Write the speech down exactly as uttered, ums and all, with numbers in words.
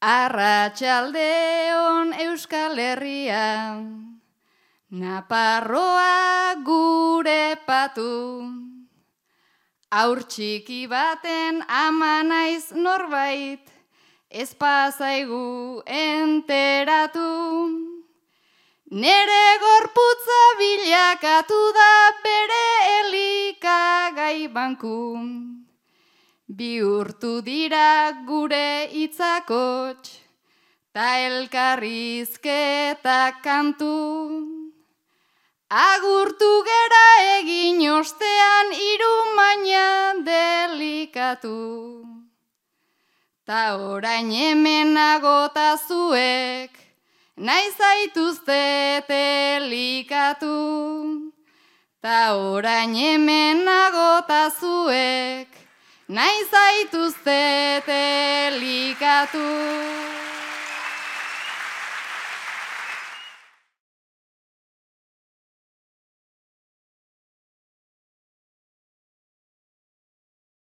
Arratsaldeon Euskal Herria, Naparroa gure patu. Aur txiki baten ama naiz norbait, ez pasaigu enteratu. Nere gorputza bilakatu da bere elikagai banku. Bihurtu dira gure hitzakots, ta elkarrizketa kantu. Agurtu gera egin ostean irumaina delikatu. Ta orain hemen agota zuek, nahi zaituztet elikatu. Ta orain hemen agota zuek, nahi zaituztet elikatu.